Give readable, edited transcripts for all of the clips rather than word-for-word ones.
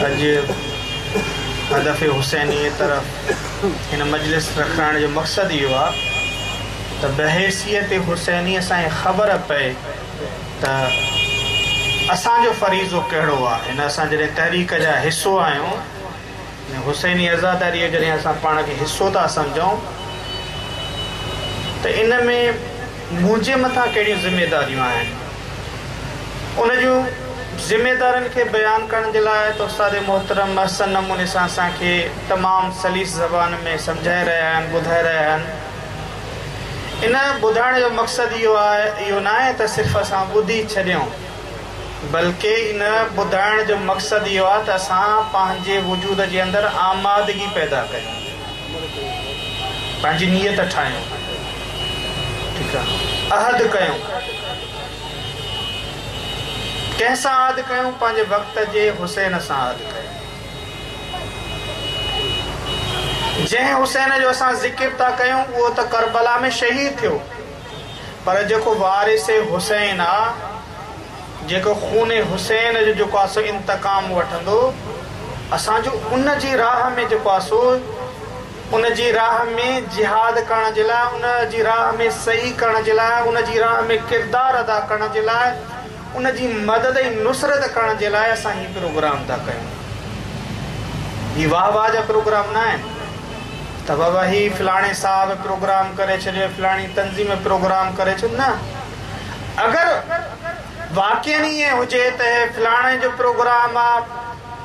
اڄ هدف حسيني طرف هن مجلس رکائڻ جو مقصد اهو آ ته بحيثيت حسيني اسان کي خبر پئي ته اسان جو فريضو ڪهڙو آ. هن اسان جڏهن تحريڪ جا حصو آهيون ۽ حسيني عزاداريء جو جڏهن اسان پاڻ کي حصو ٿا سمجهون ته ان ۾ منهنجي مٿان ڪهڙيون ذميداريون آهن، ان جون ذميدارين کي بيان ڪرڻ جي لاء ته استاد محترم احسن نموني سان اسان کي تمام سليس زبان ۾ سمجهائي رهيا آهن، ٻڌائي رهيا آهن. ان ٻڌائڻ جو مقصد اهو آهي، اهو ناهي ته صرف اسان ٻڌي ڇڏيون. بلڪه ان ٻڌائڻ جو مقصد اهو آهي ته اسان پنهنجي وجود جي اندر آمادگي پيدا ڪيون، پنهنجي نيت ٺاهيون، ٺيڪ آهي، عهد ڪيون. ڪنهن سان عهد ڪيون؟ پنهنجي وقت جي حسين سان عهد ڪيون. جنهن حسين جو اسان ذڪر ٿا ڪيون اهو ته ڪربلا ۾ شهيد ٿيو. پر جيڪو وارث حسين آ، جيڪو خون حسين جو جيڪو آ سو انتقام وٺندو، اسان جو ان جي راهه ۾ جيڪو آ سو ان جي راهه ۾ جهاد ڪرڻ جي لاء، ان جي راهه ۾ سعي ڪرڻ جي لاء، ان جي راهه ۾ ڪردار ادا ڪرڻ جي لاء، ان جي مدد ۽ نصرت ڪرڻ جي لاء اسان هي پروگرام ٿا ڪيون. هي واهه واهه جا پروگرام نه آهن ته بابا هي فلاڻي صاحب پروگرام ڪري ڇڏيو، فلاڻي تنظيم پروگرام ڪري ڇڏيو، نه. اگر واقعن ائين هجي ته هي فلاڻي جو پروگرام آ،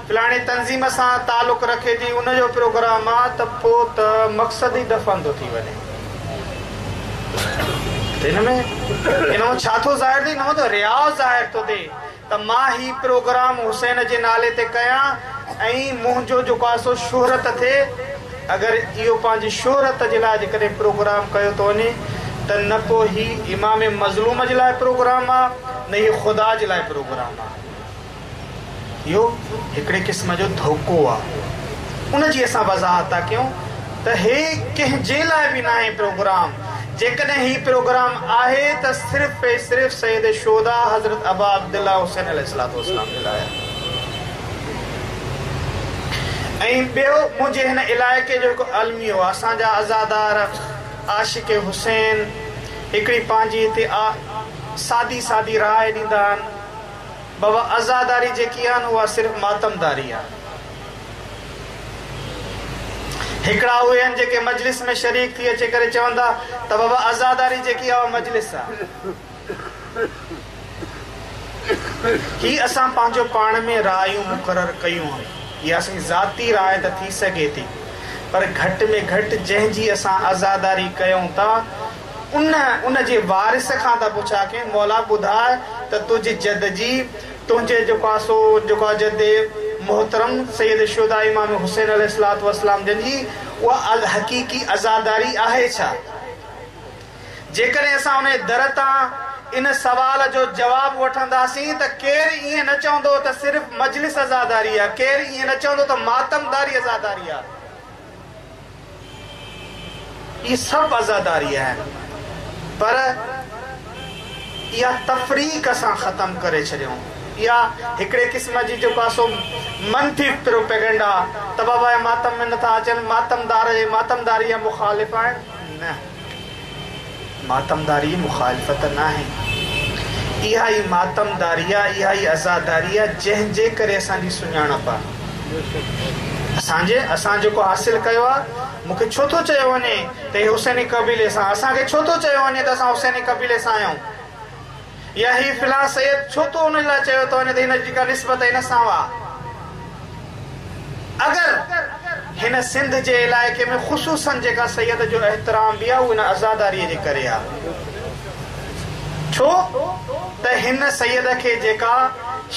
فلاڻي تنظيم سان تعلق رکي ٿي ان جو پروگرام آ ته پو ته مقصد ئي دفن ٿو ٿي وڃي. ته ان ۾ ان مان ڇا ٿو ظاهر ٿئي؟ ان مان ته رياء ظاهر ٿو ٿئي ته مان هي پروگرام حسين جي نالي تي ڪيان ۽ منهنجو جيڪو آ سو شهرت ٿئي. اگر اهو پنهنجي شهرت جي لاء جيڪڏهن پروگرام ڪيو ٿو وڃي ته نه پو هي امام مظلوم جي لاء پروگرام آ نه هي خدا جي لاء پروگرام آ. اهو هڪڙي قسم جو ڌوڪو آ. ان جي اسان وضاحت ٿا ڪيون ته هي ڪنهن جي لاء به ناهي پروگرام. جيڪڏهن هي پروگرام آهي ته صرف ۽ صرف سيد الشهداء حضرت ابا عبدالله حسين عليه الصلوة والسلام جي لاء آهي. ۽ ٻيو منهنجي هن علائقي جو هڪ الميو آ. اسان جا عزادار عاشق حسين هڪڙي پنهنجي هتي سادي سادي راء ڏيندا آهن. بابا عزاداري جيڪي آ نه اها صرف ماتمداري آ. هڪڙا اهي آهن جيڪي مجلس ۾ شريڪ ٿي اچي ڪري چون ٿا ته بابا عزاداري جيڪي آ اها مجلس آ. هي اسان پنهنجو پاڻ ۾ رايون مقرر ڪيون آهن. اها اسان جي ذاتي راء ته ٿي سگهي ٿي پر گهٽ ۾ گهٽ جنهن جي اسان عزاداري ڪيون ٿا ان ان جي وارث کان ته پڇا ڪيون، مولا ٻڌاء ته تنهنجي جد جي، تنهنجي جيڪو آ سو جيڪو آ جد محترم سيد الشهداء امام حسين عليه الصلوة والسلام جن جي اها حقيقي عزاداري آهي ڇا؟ جيڪڏهن اسان ان جي در تان ان سوال جو جواب وٺنداسين ته ڪير ائين نه چوندو ته صرف مجلس عزاداري آ، ڪير ائين نه چوندو ته ماتمداري عزاداري آ. اهي سڀ عزاداري آهن پر اها تفريق اسان ختم ڪري ڇڏيون. اها هڪڙي قسم جي جيڪو آهي سو منفي پروپيگنڊا ته بابا اهي ماتم ۾ نٿا اچن، ماتمدار اهي ماتمداري جا مخالف آهن. نه، ماتمداري جي مخالفت ناهي. اها ئي ماتمداري آهي، اها ئي عزاداري آهي جنهن جي ڪري اسان جي سڃاڻپ آهي. اسان جي اسان جيڪو حاصل ڪيو آهي، مون کي ڇو ٿو چيو وڃي ته هي حسيني قبيلي سان، اسان کي ڇو ٿو چيو وڃي ته اسان حسيني قبيلي سان آهيون؟ يا هي فلان سيد ڇو ٿو ان لاء چيو ٿو وڃي ته هن جي ڪا نسبت هن سان آ؟ اگر هن سنڌ جي علائقي ۾ خصوصاً جيڪا سيد جو احترام به آ اهو هن عزاداريء جي ڪري آ. ڇو ته هن سيد کي جيڪا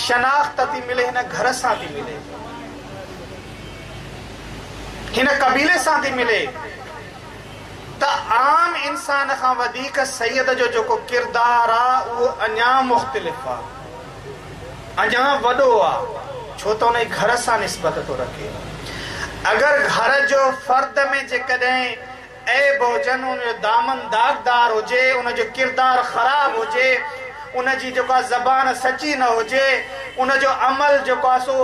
شناخت ٿي ملي هن گهر سان ٿي ملي. هن قبيلي سان ٿي ملي. ته عام انسان کان وڌيڪ سيد جو جيڪو ڪردار آ اهو اڃا مختلف آ، اڃا وڏو آ، ڇو ته ان جي گهر سان نسبت ٿو رکي. اگر گهر جو فرد ۾ جيڪڏهن عيب هجن، ان جو دامن داغدار هجي، ان جو ڪردار خراب هجي، ان جي جيڪا زبان سچي نه هجي، ان جو عمل جيڪو آ سو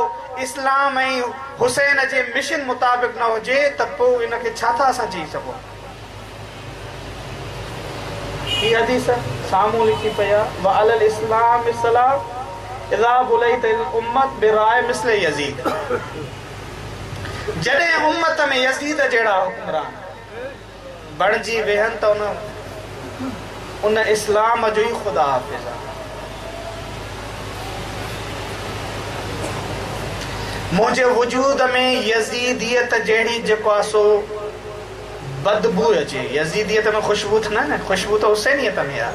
اسلام ۽ حسين جي مشن مطابق نه هجي ته پوء ان کي ڇا ٿا اسان چئي سگهون؟ هي حديث سامهون لکي پئي آ، وعلي الاسلام السلام اذا بليت الامة براع مثل يزيد جڏهن امت ۾ يزيد جهڙا حڪمران بڻجي ويهن ته ان ان اسلام جو ئي خدا حافظ آ. منهنجي وجود ۾ يزيديت جهڙي جيڪو آ سو بدبوء اچي. يزيديت ۾ خوشبو ته نه نه، خوشبو ته حسينيت ۾ آ.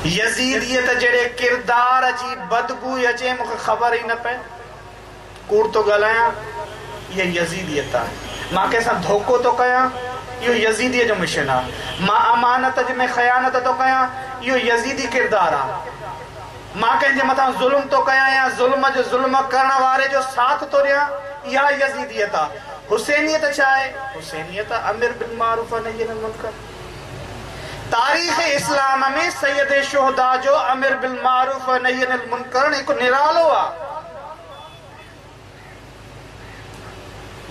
يزيديت جهڙي ڪردار جي بدبوء اچي مون کي خبر ئي نه پئي. ڪوڙ ٿو ڳالهايان، اها يزيديت آهي. مان ڪنهن سان ڌوڪو ٿو ڪيان، اهو يزيديء جو مشن آهي. مان امانت ۾ خيانت ٿو ڪيان، اهو يزيدي ڪردار آهي. مان ڪنهن جي مٿان ظلم ٿو ڪيان يا ظلم جو ظلم ڪرڻ واري جو ساٿ ٿو ڏيان، اها يزيديت آهي. حسينيت ڇا آهي؟ حسينيت امر بالمعروف و نهي عن المنڪر. تاريخ اسلام ۾ سيد شهداء جو امر بالمعروف و نهي عن المنڪر هڪ نرالو آهي.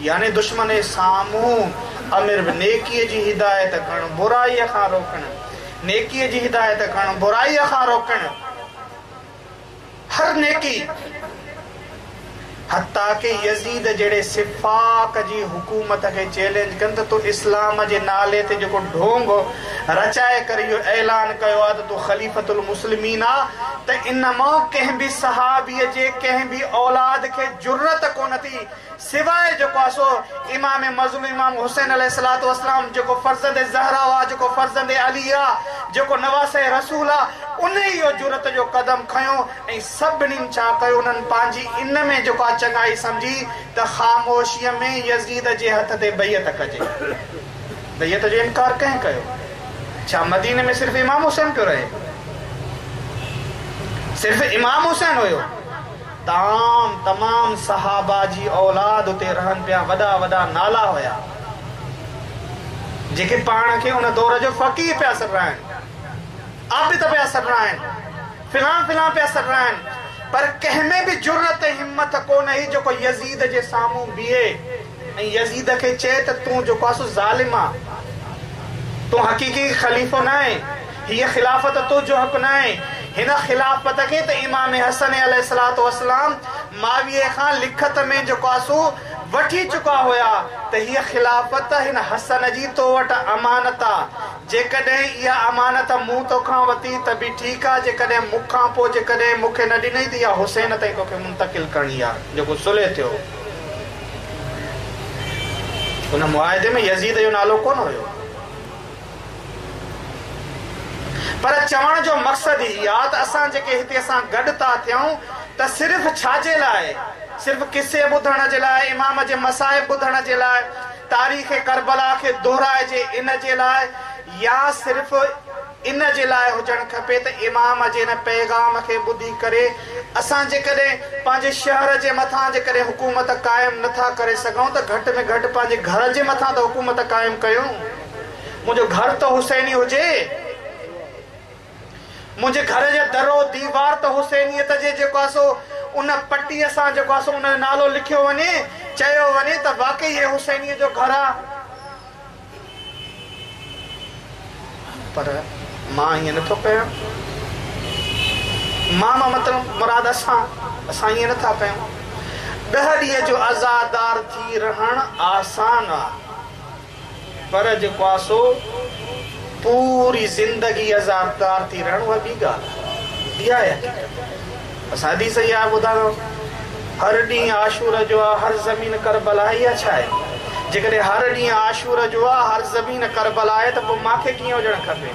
يعني دشمن سامهون امر به نيڪيء جي هدايت ڪرڻ، برائيء کان روڪڻ، نيڪيء جي هدايت ڪرڻ، برائيء کان روڪڻ، هر نيڪي، حتيٰ ڪه يزيد جهڙي سفاڪ جي حڪومت کي چئلينج ڪن ته تو اسلام جي نالي تي جيڪو ڍونگ رچائي ڪري اهو اعلان ڪيو آهي ته تون خليفة المسلمين آ ته ان مان ڪنهن به صحابيء جي ڪنهن به اولاد کي جرئت ڪونه ٿي سواء جيڪو آ سو امام مظلوم امام حسين عليه الصلوة والسلام جيڪو فرزند زهره آ جيڪو فرزند علي آ جيڪو نواسه رسول آ ان ئي اهو جرئت جو قدم کنيو ۽ سڀنين ڇا ڪيو انهن پنهنجي ان ۾ جيڪو آ چڱائي سمجهي ته خاموشيء ۾ يزيد جي هٿ تي بيعت ڪجي. بيعت جو انڪار ڪنهن ڪيو؟ ڇا مديني ۾ صرف امام حسين پيو رهي؟ صرف امام حسين هيو؟ تام تمام صحابه جي اولاد اتي رهن پيا وڏا وڏا نالا هيا جيڪي پاڻ کي ان دور جو فقيه پيا سڏرائن عابد پيا سڏرائن فلان فلان پيا سڏرائن پر ڪنهن ۾ به جرئت ۽ همٿ ڪونه هئي جيڪو يزيد جي سامهون بيهي ۽ يزيد کي چئي ته تون جيڪو آهين سو ظالم آن، تون حقيقي خليفو ناهين، هيء خلافت تنهنجو حق ناهي، هن خلافت کي ته امام حسن عليه الصلوة والسلام معاويه کان لکت ۾ جيڪو آهي سو وٺي چڪا هيا ته هيء خلافت هن حسن جي تو وٽ امانت آ، جيڪڏهن اها امانت مون توکان وتي ته به ٺيڪ آ، جيڪڏهن مون کان پوء جيڪڏهن مون کي نه ڏنئي ته اها حسين تائين توکي منتقل ڪرڻي آ، جيڪو صلح ٿيو. ان معاهدي ۾ يزيد جو نالو ڪونه هيو. پر چوڻ جو مقصد هي آ ته اسان جيڪي هتي اسان گڏ ٿا ٿيون ته صرف ڇا جي لاء؟ صرف قصي ٻڌڻ جي لاء، امام جي مصائب ٻڌڻ جي لاء، تاريخ ڪربلا کي دهرائجي ان جي لاء يا صرف ان جي لاء هجڻ کپي ته امام جي ان پيغام کي ٻڌي ڪري اسان جيڪڏهن پنهنجي شهر جي مٿان جيڪڏهن حڪومت قائم نه ٿا ڪري سگهون ته گهٽ ۾ گهٽ پنهنجي گهر جي مٿان ته حڪومت قائم ڪيون. منهنجو گهر ته حسيني هجي. منهنجي گهر جي در و ديوار ته حسينيت جي جيڪو آهي سو ان پٽيء سان جيڪو آهي سو ان جو نالو لکيو وڃي، چيو وڃي ته واقعي هي حسينيء جو گهر آهي. پر مان ائين نٿو ڪيان. مان مان مطلب مراد اسان، اسان ائين نٿا ڪيون. ڏهه ڏينهن جو عزادار ٿي رهڻ آسان آ، پر جيڪو آ سو پوري زندگي عزادار ٿي رهڻ اها ٻي ڳالهه آ. اها آهي حقيقت. اسان حديث اها ٻڌايو هر ڏينهن عاشور جو آ هر زمين ڪربلا آهي اها ڇا آهي؟ جيڪڏهن هر ڏينهن عاشور جو آ هر زمين ڪربلا آهي ته پوء مان کي ڪيئن هجڻ کپي؟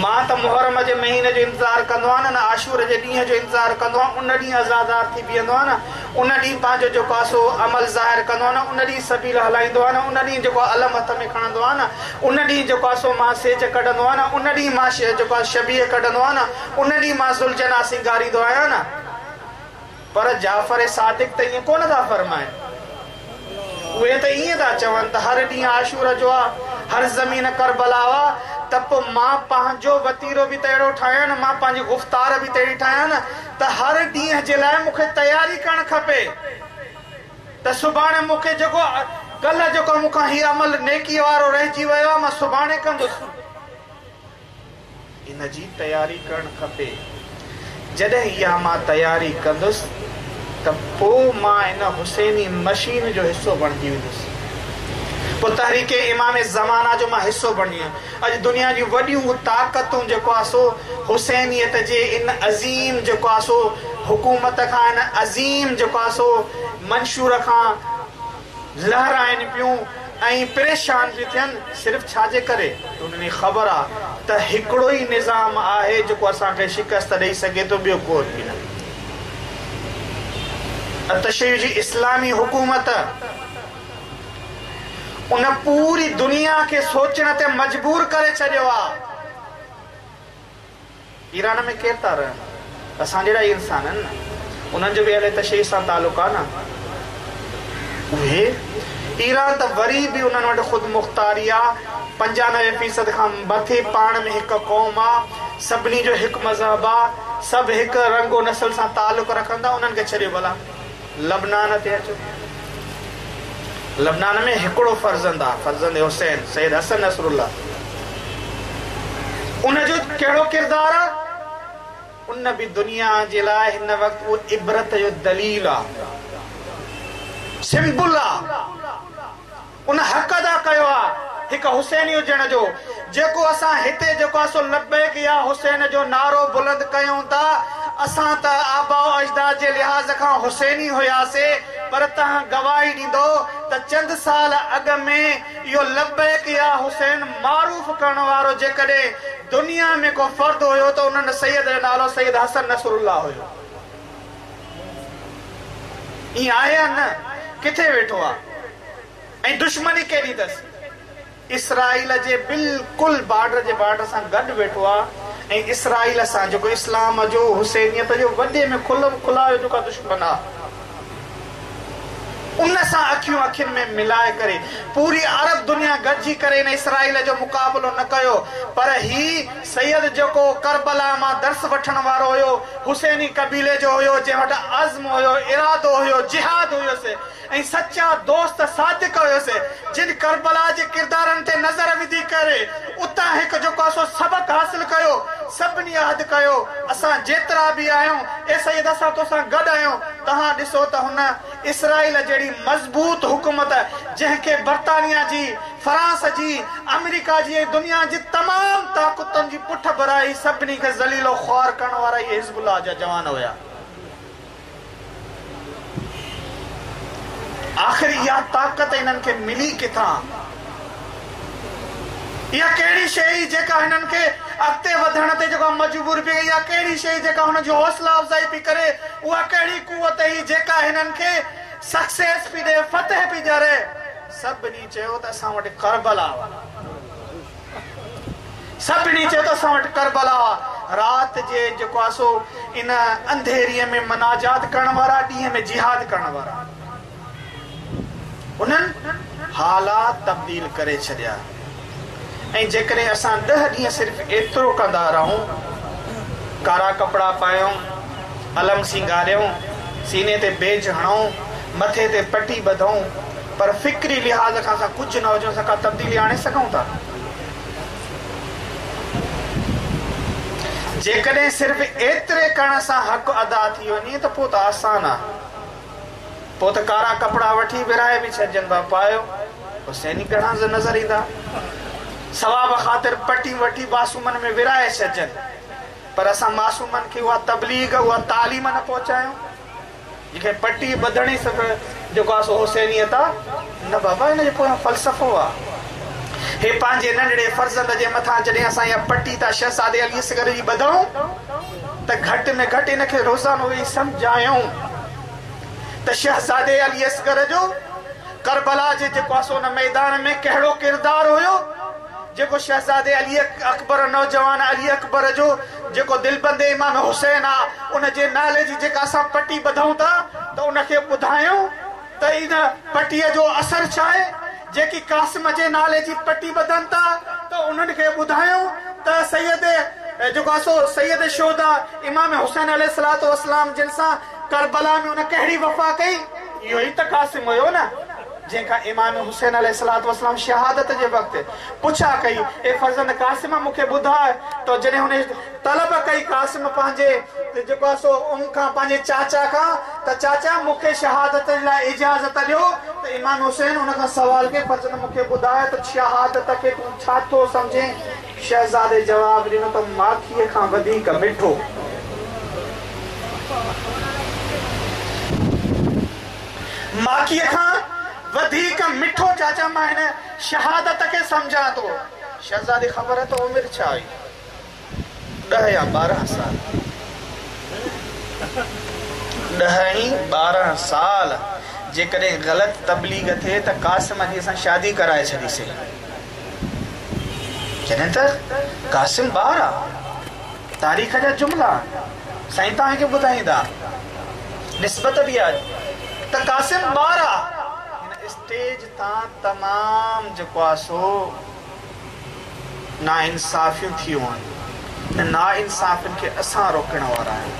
مان ته محرم جي مهيني جو انتظار ڪندو آهيان نه عاشور جي ڏينهن جو انتظار ڪندو آهيان ان ڏينهن عزادار ٿي بيهندو آهيان نه ان ڏينهن پنهنجو جيڪو آهي سو عمل ظاهر ڪندو آهيان نه ان ڏينهن سبيل هلائيندو آهيان نه ان ڏينهن جيڪو آهي علم هٿ ۾ کڻندو آهيان نه ان ڏينهن جيڪو آهي سو مان سيج ڪڍندو آهيان نه ان ڏينهن مان جيڪو آهي شبيهه ڪڍندو آهيان نه ان ڏينهن مان ذوالجناح سينگاريندو آهيان نه. پر جعفر صادق ته ائين ڪونه ٿا فرمائن. اهي ته ائين ٿا چون ته هر ڏينهن عاشور جو آ، هر زمين ڪربلا آ، ته پوء مان پنهنجو وتيرو به ته اهڙو ٺاهيان نه، مان پنهنجي گفتار به ته اهڙي ٺاهيان نه ته هر ڏينهن جي لاء مون کي تياري ڪرڻ کپي ته سڀاڻي مون کي جيڪو ڪلهه جيڪو مون کان هي عمل نيڪي وارو رهجي ويو آهي مان سڀاڻي ڪندس. ان جي تياري ڪرڻ کپي. جڏهن اها مان تياري ڪندس ته پوء مان ان حسيني مشين جو حصو بڻجي ويندس. پوء تحريڪ امام زمانه جو مان حصو بڻجي ويندس. اڄ دنيا جون وڏيون طاقتون جيڪو آهي سو حسينيت جي ان عظيم جيڪو آهي سو حڪومت کان ان عظيم جيڪو آهي سو منشور کان لهرائن پيون ۽ پريشان پيون ٿين صرف ڇا جي ڪري ته انهن کي خبر آ ته هڪڙو ئي نظام آهي جيڪو اسان کي شڪست ڏئي سگهي ٿو ٻيو ڪو به نه. تشيع جي اسلامي حڪومت ان پوري دنيا کي سوچڻ تي مجبور ڪري ڇڏيو آ. ايران ۾ ڪير ٿا رهن؟ اسان جهڙا ئي انسان آهن نه. انهن جو به اهل تشيع سان تعلق آهي نه. اهي ايران ته وري به انهن وٽ خودمختاري آ، 95 فيصد کان مٿي پاڻ ۾ هڪ قوم آ، سڀني جو هڪ مذهب آ، سڀ هڪ رنگ و نسل سان تعلق رکن ٿا، انهن کي ڇڏيو ڀلا. لبنان تي اچو. لبنان ۾ هڪڙو فرزند آ، فرزند حسين، سيد حسن نصرالله. ان جو ڪهڙو ڪردار آ؟ ان به دنيا جي لاء هن وقت اهو عبرت جو دليل آ، سمبل آ. ان حق ادا ڪيو آ هڪ حسيني هجڻ جو، جيڪو اسان هتي جيڪو آ سو لبيڪ يا حسين جو نعرو بلند ڪيون ٿا، اسان ته آباء و اجداد جي لحاظ کان حسيني هياسي پر توهان گواهي ڏيندو ته چند سال اڳ ۾ اهو لبيڪ يا حسين معروف ڪرڻ وارو جيڪڏهن دنيا ۾ ڪو فرد هيو ته ان سيد جو نالو سيد حسن نصرالله هيو. ائين آهي يا نه؟ ڪٿي ويٺو آ ۽ دشمني ڪيڏي اٿس؟ اسرائيل جي بلڪل بارڊر جي بارڊر سان گڏ ويٺو آ ۽ اسرائيل سان جيڪو اسلام جو حسينيت جو وڏي ۾ کلم کلايو جيڪو دشمن آ ان سان اکيون اکين ۾ ملائي ڪري پوري عرب دنيا گڏجي ڪري ان اسرائيل جو مقابلو نه ڪيو پر هي سيد جيڪو ڪربلا مان درس وٺڻ وارو هيو، حسيني قبيلي جو هيو، جنهن وٽ عزم هيو، ارادو هيو، جهاد هيس ۽ سچا دوست صادق هيس، جن ڪربلا جي ڪردارن تي نظر وڌي ڪري اتان هڪ جيڪو آهي سو سبق حاصل ڪيو، سڀني عهد ڪيو، اسان جيترا به آهيون، اي سيد اسان توسان گڏ آهيون، توهان ڏسو ته هن اسرائيل جهڙي مضبوط حڪومت جنهن کي برطانيا جي فرانس جي، آمريڪا جي ۽ دنيا جي تمام طاقتن جي پٺ ڀرائي سڀني کي ذليل و خوار ڪرڻ وارا اهي حزب الله جا جوان هيا. آخر اها طاقت انهن کي ملي ڪٿان؟ اها ڪهڙي شيء هئي جيڪا هنن کي اڳتي وڌڻ تي جيڪو مجبور پئي ڪئي؟ اها ڪهڙي شيء هئي جيڪا هنن جي حوصلا افزائي پئي ڪري؟ اها ڪهڙي قوت هئي جيڪا هنن کي سڪسيس پئي ڏئي، فتح پئي ڏياري؟ سڀني چيو ته اسان وٽ ڪربلا آ. سڀني چيو ته اسان وٽ ڪربلا آ. رات جي جيڪو آ سو ان انڌيريء ۾ مناجات ڪرڻ وارا، ڏينهن ۾ جهاد ڪرڻ وارا. انهن حالات تبديل ڪري ڇڏيا. ۽ جيڪڏهن اسان ڏهه ڏينهن صرف ايترو ڪندا رهون، ڪارا ڪپڙا پايون، علم سينگاريون، سيني تي بيج هڻون، مٿي تي پٽي ٻڌون، پر فڪري لحاظ کان اسان ڪجهه نه هجون، اسان ڪا تبديلي آڻي سگهون ٿا؟ جيڪڏهن صرف ايتري ڪرڻ سان حق ادا ٿي وڃي ته پوء ته آسان آ. پوء ته ڪارا ڪپڙا وٺي ورهائي به ڇڏجن ڀا پايو حسيني گهڻا نظر ايندا. ثواب خاطر پٽيون وٺي معصومن ۾ ورهائي ڇڏجن. پر اسان معصومن کي اها تبليغ، اها تعليم نه پهچايون. جيڪڏهن پٽي ٻڌڻ ئي صرف جيڪو آ سو حسينيت آ، نه بابا ان جي پويان فلسفو آ. هي پنهنجي ننڍڙي فرزند جي مٿان جڏهن اسان اها پٽي ٿا شهزادي علي اصغر جي ٻڌون ته گهٽ ۾ گهٽ ان کي روزانو ويهي سمجهايون ته شهزادي علي اصغر جو ڪربلا جي جيڪو آ سو ان ميدان ۾ ڪهڙو ڪردار هيو. جيڪو شهزادي علي اڪبر نوجوان علي اڪبر جو جيڪو دلبند امام حسين آ ان جي نالي جي جيڪا اسان پٽي ٻڌون ٿا ته ان کي ٻڌايون ته ان پٽيء جو اثر ڇا آهي جيڪي قاسم جي نالي جي پٽي ٻڌن ٿا ته پوء انهن کي ٻڌايون ته سيد جيڪو آهي سو سيد الشهداء امام حسين عليه الصلوة والسلام جن سان ڪربلا ۾ ان ڪهڙي وفا ڪئي؟ اهو ئي ته قاسم هيو نه جنهن کان امام حسين عليه الصلوة والسلام شهادت جي وقت پڇا ڪئي، اي فرزند قاسم مون کي ٻڌاء ته جڏهن هن طلب ڪئي قاسم پنهنجي جيڪو آهي سو ام کان پنهنجي چاچا کان ته چاچا مون کي شهادت جي لاء اجازت ڏيو ته امام حسين ان کان سوال ڪيو فرزند مون کي ٻڌاء ته شهادت کي تون ڇا ٿو سمجهين؟ شهزادي جواب ڏنو ته ماکيء کان وڌيڪ مٺو. ماکيء کان وڌيڪ مٺو چاچا مان هن شهادت کي سمجهان ٿو. شهزادي خبر اٿو عمر ڇا هئي؟ ڏهه يا 12 سال. 10 ۽ 12 سال جيڪڏهن غلط تبليغ ٿئي ته قاسم جي اسان شادي ڪرائي ڇڏيسين. جڏهن ته قاسم ٻار آ. تاريخ جا جملا سائين توهان کي ٻڌائيندا. نسبت به آهي ته قاسم ٻار آ. هن اسٽيج تان تمام جيڪو آ سو ناانصافيون ٿيون آهن. ان ناانصافين کي اسان روڪڻ وارا آهيون.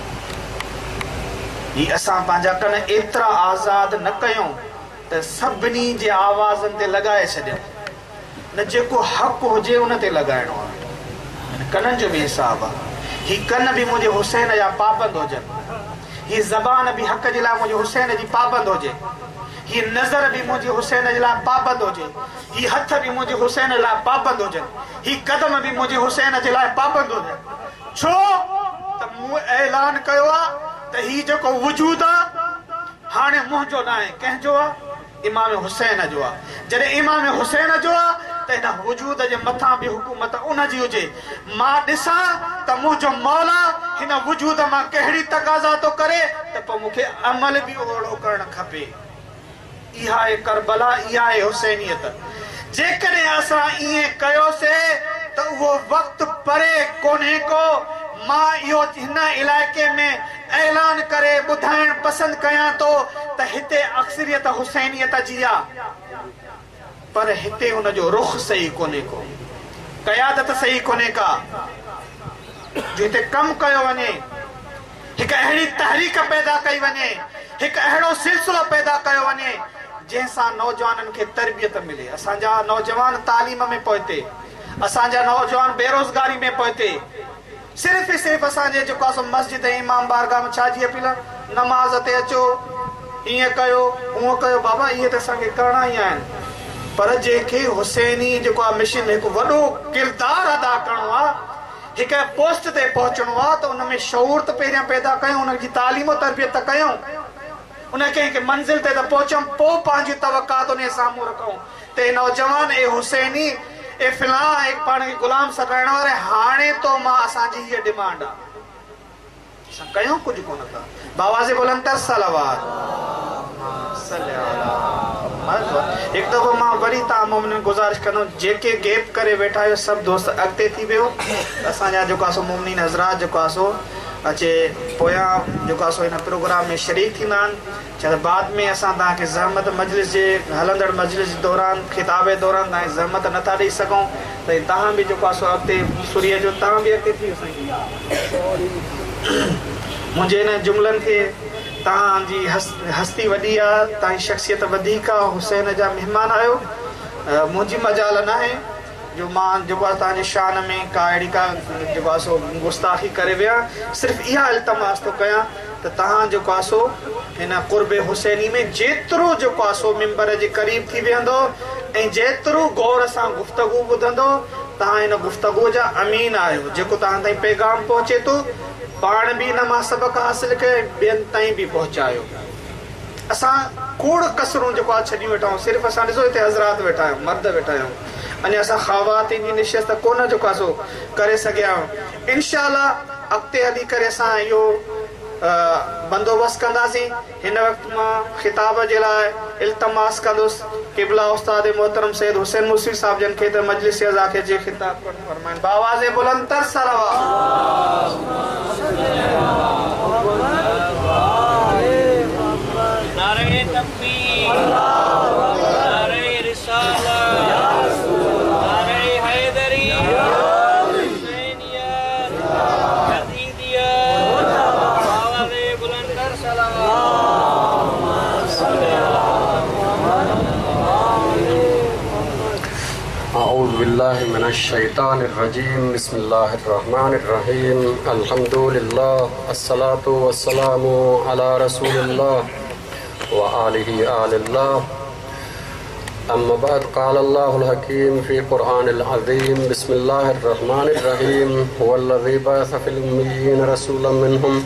هي اسان پنهنجا ڪن ايترا آزاد نه ڪيون ته سڀني جي آوازن تي لڳائي ڇڏيون. نه جيڪو حق هجي ان تي لڳائڻو آهي. هن ڪنن جو به حساب آهي. هي ڪن به منهنجي حسين جا پابند هجن. هي زبان به حق جي لاء منهنجي حسين جي پابند هجي. هي نظر به منهنجي حسين جي لاء پابند هجي. هي هٿ به منهنجي حسين لاء پابند هجن. هي قدم به منهنجي حسين جي لاء پابند هجن. ڇو ته مون اعلان ڪيو آ ته هي جيڪو وجود آ هاڻي منهنجو ناهي، ڪنهن جو آ؟ امام حسين جو آ. جڏهن امام حسين جو آ ته هن وجود جي مٿان به حڪومت ان جي هجي. مان ڏسان ته منهنجو مولا هن وجود مان ڪهڙي تقاضا ٿو ڪري ته پوء مون کي عمل به اهڙو ڪرڻ کپي. اها آهي ڪربلا، اها آهي حسينيت. جيڪڏهن اسان ائين ڪيوسي ته اهو وقت پري ڪونهي ڪو. مان اهو هن علائقي ۾ اعلان ڪري ٻڌائڻ پسند ڪيان ٿو ته هتي اڪثريت حسينيت جي آ پر هتي ان جو رخ صحيح ڪونهي ڪو، قيادت صحيح ڪونهي ڪا جو هتي ڪم ڪيو وڃي. هڪ اهڙي تحريڪ پيدا ڪئي وڃي، هڪ اهڙو سلسلو پيدا ڪيو وڃي، جنهن سان نوجوانن کي تربيت ملي. اسان جا نوجوان تعليم ۾ پوئتي، اسان جا نوجوان بيروزگاري ۾ پوئتي، صرف ئي صرف اسان جي جيڪو آهي سو مسجد ۽ امام بارگاهه ۾ ڇا جي اپيل آهي؟ نماز تي اچو، ائين ڪيو، هونئن ڪيو، بابا اهي ته اسان کي ڪرڻا ئي آهن، پر جنهن کي حسيني جيڪو آهي مشن ۾ هڪ وڏو ڪردار ادا ڪرڻو آهي، هڪ پوسٽ تي پهچڻو آ ته ان ۾ شعور ته پهريان پيدا ڪيون، ان جي تعليم و تربيت ته ڪيون، ان کي هڪ منزل تي ته پهچون، پوء پنهنجون توقعات انهي سامهون رکون ته اي نوجوان، اي حسيني، اي فلان، اي پاڻ کي غلام سڏرائڻ واري، هاڻي تو مان اسان جي هيء ڊمانڊ آ. اسان ڪيون ڪجهه ڪونه ٿا. باواز بلند تر صلوات صل علی محمد. هڪ دفعو مان وري توهان مومنين گذارش ڪندم جيڪي گيپ ڪري ويٺا آهيو سڀ دوست اڳتي ٿي ويهو ته اسان جا جيڪو آهي سو مومنين حضرات جيڪو آهي سو اچي پويان جيڪو آهي سو هن پروگرام ۾ شريڪ ٿيندا آهن. ڇا ته بعد ۾ اسان توهان کي زحمت مجلس جي هلندڙ مجلس جي دوران خطاب دوران توهان کي زحمت نه ٿا ڏئي سگهون ته توهان به جيڪو آهي سو اڳتي سري اچو توهان به اڳتي ٿي ويو سائين منهنجي هن جملن کي توهان جي هستي وڏي آهي توهان جي شخصيت وڌيڪ آهي حسين جا مهمان آهيو منهنجي مجال ناهي جو مان جيڪو آهي توهان جي شان ۾ ڪا اهڙي ڪا جيڪو آهي سو گستاخي ڪري ويهان صرف اها التماس ٿو ڪيان ته توهان جيڪو آهي سو هن قرب حسيني ۾ جيترو جيڪو آهي سو منبر جي قريب ٿي ويهندو ۽ جيترو غور سان گفتگو ٻڌندو توهان هن گفتگو جا امين آهيو جيڪو توهان تائين پيغام پهچي ٿو پاڻ به ان مان سبق حاصل ڪيو ۽ ٻين تائين به پهچايو. اسان کوڙ ڪسرون جيڪو آهي ڇڏيون ويٺا آهيون صرف اسان ڏسو هتي حضرات ويٺا آهيون مرد ويٺا آهيون اڃا اسان خواتين جي نشست ڪونه جيڪو آهي سو ڪري سگهيا آهيون انشاء الله اڳتي هلي ڪري اسان اهو بندوبست ڪنداسين هن وقت مان خطاب جي لاء التماس ڪندس قبله استاد محترم سيد حسين موسوي صاحب جن کي ته مجلس عزا کي جي خطاب ڪرڻ فرمائن باواز بلند تر صلوات. نعره تڪبير نعره رسالت نعره حيدري. بالله من الشيطان الرجيم بسم الله الرحمن الرحيم الحمد لله الصلاة والسلام على رسول الله وآله آل الله أما بعد قال الله الحكيم في قرآن العظيم بسم الله الرحمن الرحيم هو الذي بعث في الأميين رسولا منهم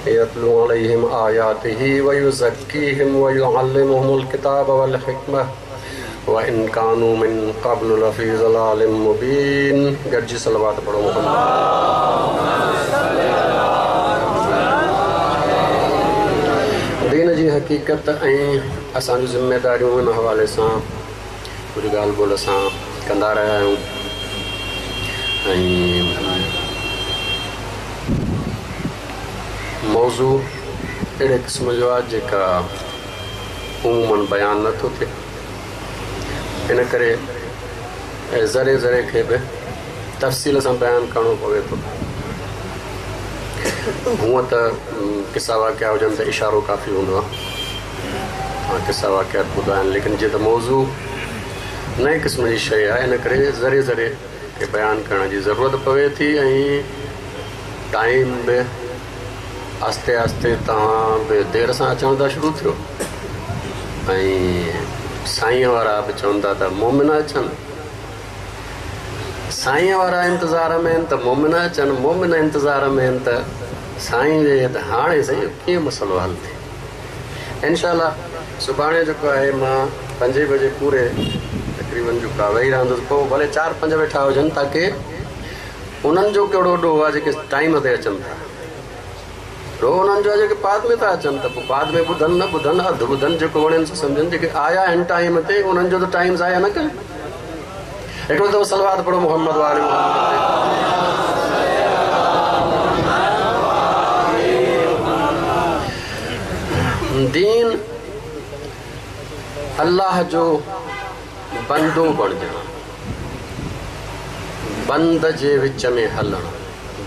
يتلو عليهم آياته ويزكيهم ويعلمهم الكتاب والحكمة وإن كانوا من قبل لفي ضلال مبين گڏجي صلوات پڙهو محمد. دين جي حقيقت ۽ اسان جون ذميداريون ان حوالي سان ڪجهه ڳالهه ٻولهه اسان ڪندا رهيا آهيون ۽ موضوع اهڙي قسم جو آهي جيڪا عموماً بيان نه ٿو ٿئي ان ڪري ذري ذري کي به تفصيل سان بيان ڪرڻو پوي ٿو. هونء ته قصا واقعا هجن ته اشارو ڪافي هوندو آهي. توهان قصا واقعا به ٻڌا آهن ليڪن جيئن ته موضوع نئين قسم جي شيء آهي ان ڪري ذري ذري کي بيان ڪرڻ جي ضرورت پوي ٿي ۽ ٽائيم به آهستي آهستي توهان به دير سان اچڻ ٿا شروع ٿيو ۽ سائينء وارا به چون ٿا ته مومن اچن. سائينء وارا انتظار ۾ آهن ته مومن اچن، مومن انتظار ۾ آهن ته سائين ويهي ته هاڻي سائين اهو ڪيئن مسئلو حل ٿئي. انشاء الله سڀاڻي جيڪو آهي مان پنجين بجي پوري تقريبن جيڪو آهي ويهي رهندس پوء ڀلي چار پنج ويٺا هجن تاڪه انهن جو ڪهڙو ڏوهه آهي جيڪي ٽائيم تي اچن ٿا. ڏوهه انهن جو آهي جيڪي بعد ۾ ٿا اچن ته پوء بعد ۾ ٻڌن نه ٻڌن اڌ ٻڌن جيڪو وڻين سو سمجهن جيڪي آيا آهن ٽائيم تي انهن جو ته ٽائيم ضايع نه ڪن. هڪڙو دفعو صلوات پڙهو محمد وآل محمد تي. دين الله جو بندو بڻجڻ بند جي وچ ۾ هلڻ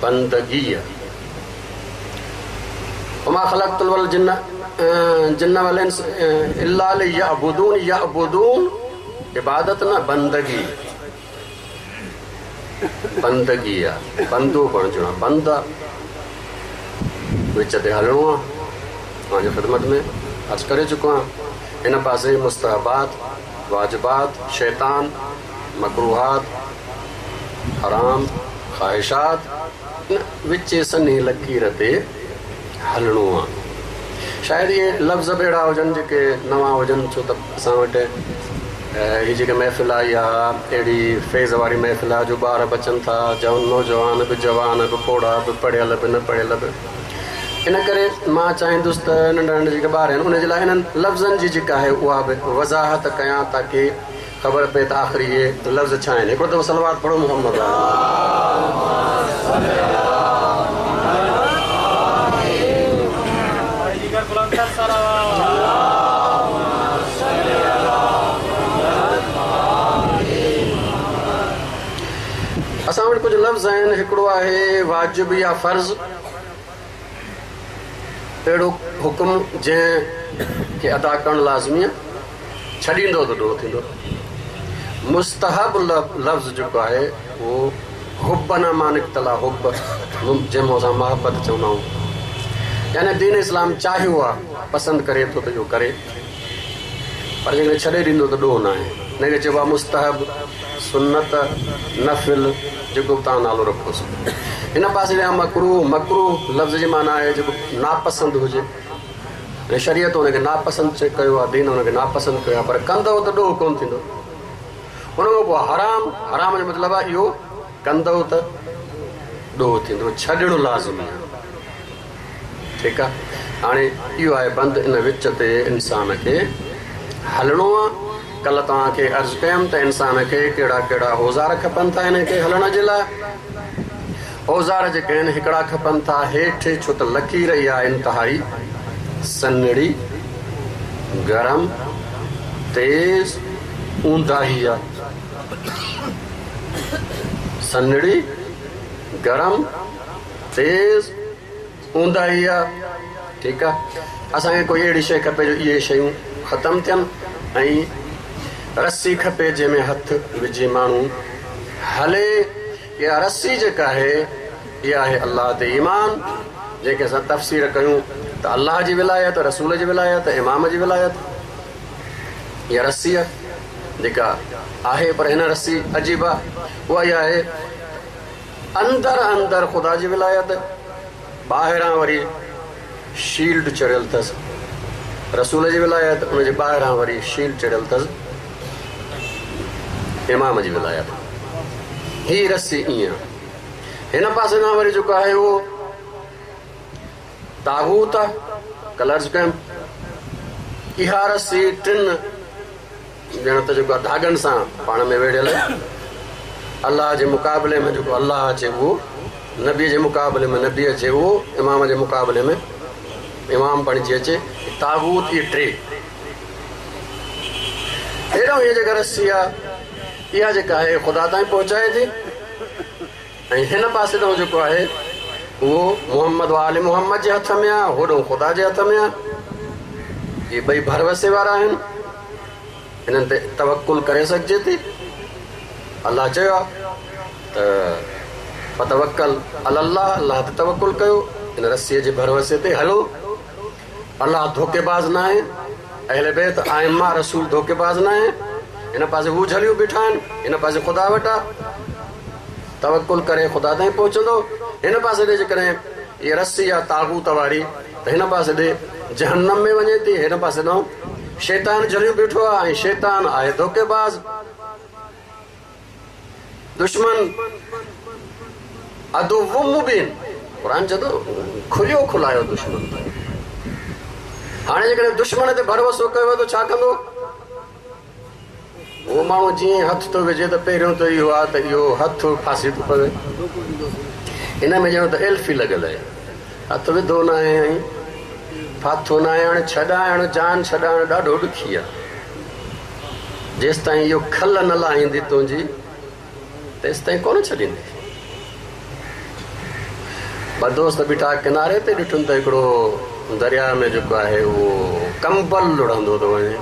بندگيء وما خلقت الجن جن والانس الا ليعبدون يعبدون عبادت نه بندگي بندگي آ بندو بڻجڻو آ بند آ وچ تي هلڻو آ توهان جي خدمت ۾ عرض ڪري چڪو آهيان هن پاسي مستحبات واجبات شيطان مڪروهات حرام خواهشات ان وچين سنهي لڪير تي هلڻو آ. شايد اهي لفظ به اهڙا هجن جيڪي نوان هجن ڇو ته اسان وٽ هي جيڪي محفل آ اها اهڙي فيض واري محفل آ جو ٻار به اچن ٿا نوجوان به جوان به پوڙها به پڙهيل به نه پڙهيل به ان ڪري مان چاهيندس ته ننڍا ننڍا جيڪي ٻار آهن انهن جي لاء انهن لفظن جي جيڪا آهي اها به وضاحت ڪيان تاڪه خبر پئي ته آخر اهي لفظ ڇا آهن. هڪڙو دفعو صلوات پڙهو محمد اسان وٽ ڪجهه لفظ آهن هڪڙو آهي واجب يا فرض اهڙو حڪم جنهن کي ادا ڪرڻ لازمي آهي ڇڏيندو ته ڏوهه ٿيندو. مستحب لفظ جيڪو آهي اهو حب مان نڪتل آهي حب جنهن مان اسان محبت چوندا آهيون يعني دين اسلام چاهيو آهي پسند ڪري ٿو ته اهو ڪري پر جيڪڏهن ڇڏي ڏيندو ته ڏوهه ناهي ان کي چئبو آهي مستحب سنت نفل جيڪو به توهان نالو رکوس هن پاسي ڏي مڪروه مڪروه لفظ جي معنيٰ آهي جيڪو ناپسند هجي ۽ شريعت ان کي ناپسند ڪيو آهي، دين ان کي ناپسند ڪيو آهي، پر ڪندؤ ته ڏوهه ڪونه ٿيندو. ان کان پوء حرام، حرام جو مطلب آهي اهو ڪندؤ ته ڏوهه ٿيندو، ڇڏڻ لازمي آهي. ٺيڪ آهي، هاڻي اهو آهي بند، ان وچ تي انسان کي هلڻو آهي. ڪلهه توهان کي عرض ڪيم ته انسان کي ڪهڙا ڪهڙا اوزار کپن ٿا ان کي هلڻ جي لاء. اوزار جيڪي آهن هڪڙا کپن ٿا هيٺ ڇو ته لڪير اها انتهائي سنهڙي، گرم، تيز، اونداهي آ. سنهڙي، گرم، تيز، اونداهي آ. ٺيڪ آ. اسان کي ڪوئي اهڙي شيء کپي جو اهي شيون ختم ٿين ۽ رسي کپي جنهن ۾ هٿ وجهي ماڻهو هلي. اها رسي جيڪا آهي اها آهي الله تي ايمان، جنهن کي اسان تفسير ڪيون ته الله جي ولايت، رسول جي ولايت، امام جي ولايت. اها رسي آهي جيڪا آهي، پر هن رسي عجيب آهي، اها اها آهي اندر اندر خدا جي ولايت، ٻاهران وري شيلڊ چڙهيل اٿس رسول جي ولايت، ان جي ٻاهران وري شيلڊ چڙهيل اٿس امام جي ولايت. هي رسي ائين آهي. هن پاسي کان وري جيڪو آهي اهو طاغوت آهي، ڪلرز ڪيم. اها رسي ٽن ڄڻ ته جيڪو آهي ڌاڳن سان پاڻ ۾ ويڙهيل آهي. الله جي مقابلي ۾ جيڪو الله اچي اهو، نبي جي مقابلي ۾ نبي اچي اهو، امام جي مقابلي ۾ امام بڻجي اچي. طاغوت اهي ٽي. هيڏانهن هيء جيڪا رسي آهي اها جيڪا آهي خدا تائين پهچائي ٿي ۽ هن پاسي ڏانهن جيڪو آهي اهو محمد و آل محمد جي هٿ ۾ آهي، هوڏانهن خدا جي هٿ ۾ آهي. اهي ٻئي ڀروسي وارا آهن، انهن تي توڪل ڪري سگهجي ٿي. الله چيو آهي ته فتوڪل علي الله، الله تي توڪل ڪيو، ان رسيء جي ڀروسي تي هلو. الله ڌوڪيباز ناهي، اهل بيت، ائمه، رسول ڌوڪيباز ناهي. هن پاسي هو جهليون بيٺا آهن، هن پاسي خدا وٽ آهي. توڪل ڪري خدا تائين پهچندو. هن پاسي ڏي جيڪڏهن هيء رسي آهي طاغوت واري ته هن پاسي ڏي جهنم ۾ وڃي ٿي، هن پاسي ڏانهن شيطان جهليون بيٺو آهي ۽ شيطان آهي ڌوڪيباز. دشمن عدو مبين، قرآن چئي ٿو کليو کلايو دشمن اٿئي. هاڻي جيڪڏهن دشمن تي ڀروسو ڪيو ته ڇا ڪندو؟ اهو ماڻهو جيئن هٿ ٿو وجهي ته پهريون ته اهو آهي ته اهو هٿ ڦاسي ٿو پوي. ان ۾ ڄڻ ته ايلفي لڳل آهي. هٿ وڌو ناهي ۽ ڦاٿو ناهي. هاڻي ڇڏائڻ، جان ڇڏائڻ ڏاڍو ڏکي آهي. جيستائين اهو کل نه لاهيندي تنهنجي، تيستائين ڪونه ڇڏيندي. ٻه دوست بيٺا ڪناري تي، ڏٺن ته هڪڙو درياء ۾ جيڪو آهي اهو ڪمبل لڙهندو ٿو وڃي.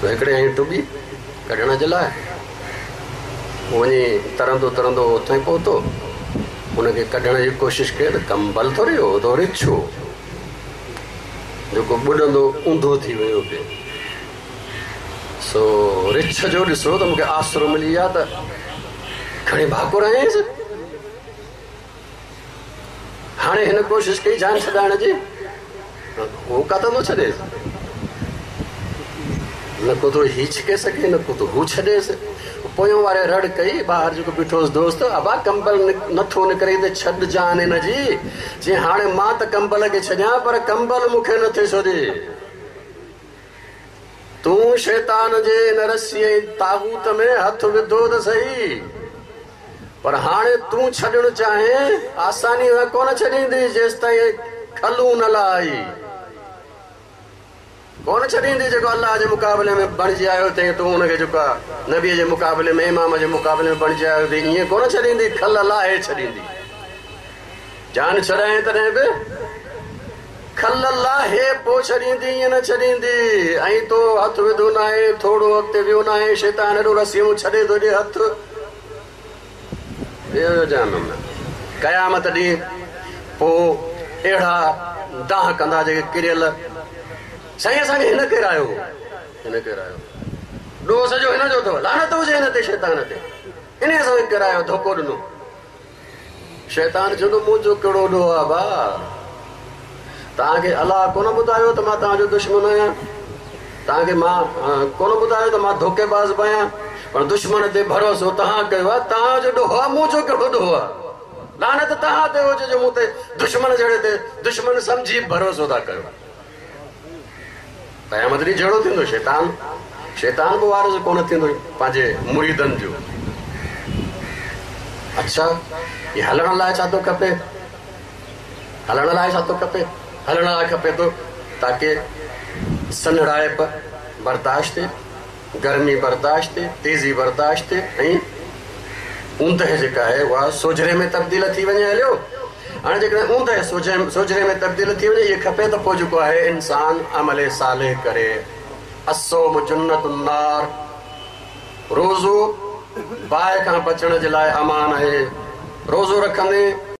سو هڪڙي هنئين ٽٻي ڪڍڻ جي لاء وڃي ترندو ترندو اتي پهتو. ان کي ڪڍڻ جي ڪوشش ڪئي ته ڪمبل ٿوري هو، ته رڇ هو جيڪو ٻڏندو اونڌو ٿي ويو پئي. سو رڇ جو ڏسو ته مون کي آسرو ملي ويا ته کڻي ڀاڪر هنيس. هاڻي هن ڪوشش ڪئي جان ڇڏائڻ جي، هو ڪاٿان ٿو ڇڏيس؟ نه ڪو ٿو هي ڇڪي سگهي، نه ڪو ٿو هو ڇڏيس. پويون واري رڙ ڪئي، ٻاهر جيڪو بيٺو هوس دوست، ابا ڪمبل نٿو نڪري ته ڇڏ جان هن جي. چيائين هاڻي مان ته ڪمبل کي ڇڏيان پر ڪمبل مون کي نٿي ڇڏي. تون شيطان جي ان رسي ۽ طاغوت ۾ هٿ وڌو ته سهي، پر هاڻي تون ڇڏڻ چاهين، آسانيء سان ڪونه ڇڏيندي، جيستائين کلون نه لاهي. ڪونه ڇڏيندي، جيڪو الله جي مقابلي ۾ بڻجي آيو اٿئي، تون ان کي جيڪو نبيء جي مقابلي ۾، امام جي مقابلي ۾ بڻجي آيو اٿئي، ائين ڪونه ڇڏيندي، کل لاهي ڇڏيندي. جان ڇڏائين تڏهن به کل لاهي پوء ڇڏيندي، ائين نه ڇڏيندي. ۽ تو هٿ وڌو ناهي، ٿورو اڳتي ويو ناهي، شيطان ايڏو رسيون ڇڏي ٿو ڏي هٿ. ويو جهنم ۾. قيامت ڏينهن پوء اهڙا دانهن ڪندا جيڪي ڪريل، سائين اسان کي هن ڪيرايو هو، هن ڪيرايو هو، ڏوهه سڄو هن جو اٿو، لعنت هجي هن تي، شيطان تي، انهي اسان کي ڪيرايو، ڌوڪو ڏنو. شيطان چوندو، منهنجو ڪهڙو ڏوهه آ ڀاء؟ توهان کي الله ڪونه ٻڌايو ته مان توهان جو دشمن آهيان؟ توهان کي مان ڪونه ٻڌايو ته مان ڌوڪيباز به آهيان؟ پر دشمن تي ڀروسو توهان ڪيو آهي، توهان جو ڏوهه آهي، منهنجو ڪهڙو ڏوهه آهي؟ لعنت توهان تي هجي جو مون تي دشمن جهڙي تي دشمن سمجهي ڀروسو ٿا ڪيو. قيامت ڏينهن جهيڙو ٿيندو، شيطان شيطان به وارث ڪونه ٿيندو پنهنجي مريدن جو. اڇا هي هلڻ لاء ڇا ٿو کپي؟ هلڻ لاء ڇا ٿو کپي؟ هلڻ لاء کپي ٿو تاڪه سنهڙائپ برداشت ٿئي، گرمي برداشت ٿئي، تيزي برداشت ٿئي ۽ اوندهه جيڪا آهي اها سوجهري ۾ تبديل ٿي وڃي هليو. هاڻي جيڪڏهن اوندهه سوجهري ۾ تبديل ٿي وڃي اهي کپي ته پوء جيڪو آهي انسان عمل صالح ڪري. الصوم جنة النار، روزو باهه کان بچڻ جي لاء امان آهي. روزو رکندين